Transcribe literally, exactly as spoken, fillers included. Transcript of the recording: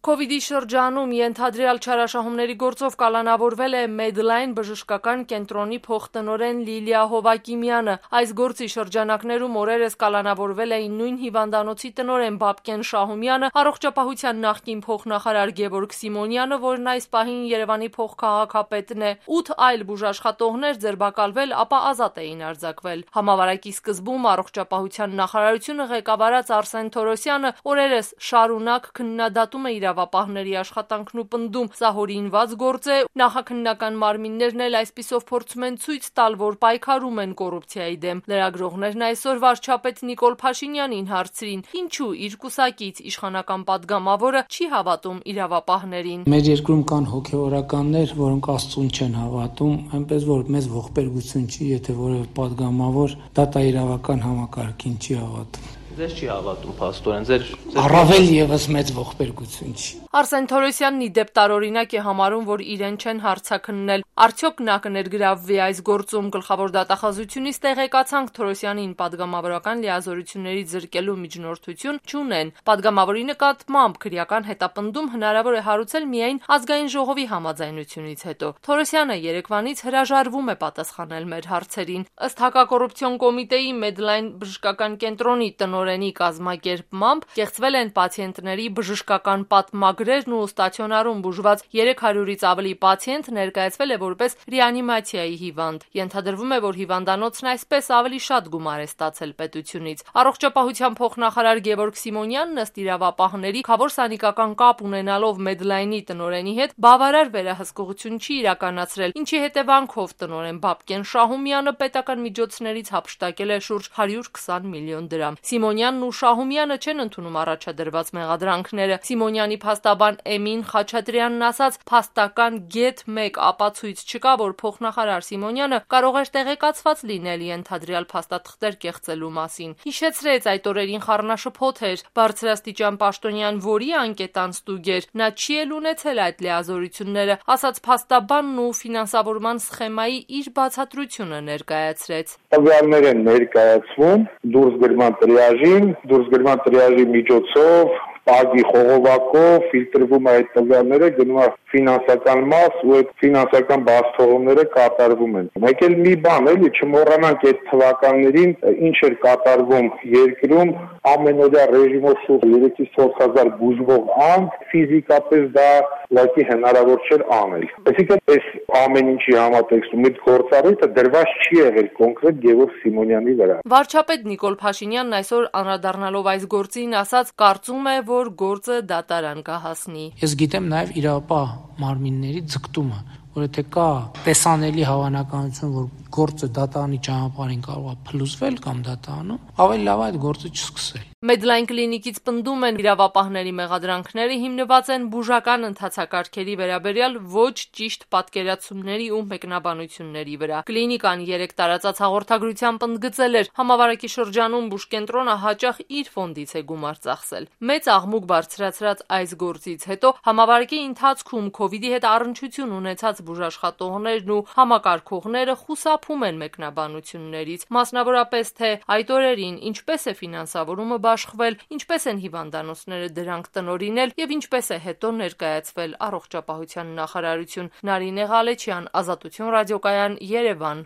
Քովիդի շրջանում ենթադրյալ չարաշահումների գործով կալանավորվել է Medline բժշկական կենտրոնի փոխտնօրեն Լիլիա Հովակիմյանը։ Այս գործի շրջանակներում օրերս կալանավորվել էին նույն հիվանդանոցի տնօրեն Բաբկեն Շահումյանը, առողջապահության նախկին փոխնախարար Գևորգ Սիմոնյանը, որն այս պահին Երևանի փոխքաղաքապետն է, ութ այլ բուժաշխատողներ ձերբակալվել, ապա ազատ էին արձակվել։ Համավարակի սկզբում առողջապահության նախարարությունը ղեկավարած Արսեն Թորոսյանը օրերս շարունակ քննադատում է իրավապահների աշխատանքն ու պնդում, սա հորինված գործ է, նախաքննական մարմիններն էլ այսպիսով փորձում են ցույց տալ, որ պայքարում են կոռուպցիայի դեմ։ Լրագրողներն այսօր վարչապետ Նիկոլ Փաշինյանին հարցրին, ինչու իր կուսակից իշխանական падգամավորը չի հավատում իրավապահներին։ Մեր երկրում կան հոգեվորականներ, որոնք Աստծուն չեն հավատում, այնպես որ մեզ ողբերգություն չի, եթե որևէ падգամավոր դատաիրավական համակարգին չի հավատում։ Ձեզ չի հավատում, փաստորեն, ձեր առավել եւս մեծ ողբերգություն չի։ Արսեն Թորոսյանն ի դեպ տարօրինակ է համարում, որ իրեն չեն հարցաքննել։ Արդյոք նա կներգրավվի այս գործում? Գլխավոր դատախազությունից տեղեկացանք, Թորոսյանին падգամավորական լիազորությունների զրկելու միջնորդություն չունեն։ Падգամավորի նկատմամբ քրեական հետապնդում հնարավոր է հարուցել միայն ազգային ժողովի համաձայնությունից հետո։ Թորոսյանը երեկվանից հրաժարվում է պատասխանել մեր հարցերին։ Ըստ հակակոռուպցիոն կոմիտեի Medline բժշկական կենտրոնի տնօրենի կազմակերպմամբ կեղծվել են պացիենտների բժշկական պատմագրերն ու ստացիոնարում բուժված երեք հարյուրից ավելի պացիենտ ներկայացվել է որպես ռեանիմացիայի հիվանդ։ Ենթադրվում է, որ հիվանդանոցն այսպես ավելի շատ գումար է ստացել պետությունից։ Առողջապահության փոխնախարար Գևորգ Սիմոնյանն ըստ իրավապահների քավոր սանիկական կապ ունենալով Medline-ի տնօրենի հետ բավարար վերահսկողություն չի իրականացրել, ինչի հետևանքով տնօրեն Բաբկեն Շահումյանը պետական միջոցներից հափշտակել է շուրջ հարյուր քսան միլիոն դրամ։ Սիմոնյանն ու Շահումյանը չեն ընդունում առաջադրված մեղադրանքները։ Սիմոնյանի փաստաբան Էմին Խաչատրյանն ասաց, փաստական գեթ մեկ ապացույց չկա, որ փոխնախարար Սիմոնյանը կարող էր տեղեկացված լինել ենթադրյալ փաստաթղթեր կեղծելու մասին։ Հիշեցրեց, այդ օրերին խառնաշփոթ էր բարձրաստիճան պաշտոնյան, որի անկետան ստուգեր, նա չի էլ ունեցել այդ լիազորությունները, ասաց փաստաբանն ու ֆինանսավորման սխեմայի իր բացատրությունը ներկայացրեց։ Տվյալներ են ներկայացվում դուրսգրման տրիաժին, դուրսգրման տրիաժի միջոցով Պագի խողովակով ֆիլտրվում է այդ տվյալները, գնում է ֆինանսական մաս ու այդ ֆինանսական բացթողումները կատարվում են։ Մեկ էլ մի բան էլի, չմոռանանք այդ թվականներին ինչ էր կատարվում երկրում, ամենօրյա ռեժիմով շուրջ երեքից չորս հազար բուժվող անձ, ֆիզիկապես դա լակի հնարավոր չէր անել։ Այսինքն այս ամեն ինչի համատեքստում այդ գործառույթը դրված չի եղել կոնկրետ Գևորգ Սիմոնյանի վրա։ Վարչապետ Նիկոլ Փաշինյանն այսօր անդրադառնալով այս գործին ասաց, կարծում է, որ գործը դատարան կհասնի։ Ես գիտեմ նաև իրավապահ մարմինների ձգտումը, որ եթե կա տեսանելի հավանականություն, որ գործը դատարանի ճանապարհին կարող է փլուզվել կամ դատարանում, ավելի լավ է այդ գործը չսկսել։ Medline կլինիկից պնդում են իրավապահների մեղադրանքները հիմնված են բուժական ընթացակարգերի վերաբերյալ ոչ ճիշտ պատկերացումների ու մեկնաբանությունների վրա։ Կլինիկան երեք տարածած հաղորդագրությամբ ընդգծել էր, համավարակի շրջանում բուժկենտրոնը հաճախ իր ֆոնդից է գումար ծախսել։ Մեծ աղմուկ բարձրացրած այս գործից հետո համավարակի ընթացքում քովիդի հետ առնչություն ունեցած բուժաշխատողներն ու համակարգողները խուսափում են մեկնաբանություններից, մասնավորապես թե այդ օրերին ինչպես է ֆինանսավորումը աշխվել, ինչպես են հիվանդանոցները դրանք տնօրինել եւ ինչպես է հետո ներկայացվել առողջապահության նախարարություն։ Նարինե Ղալեչյան, Ազատություն ռադիոկայան, Երևան։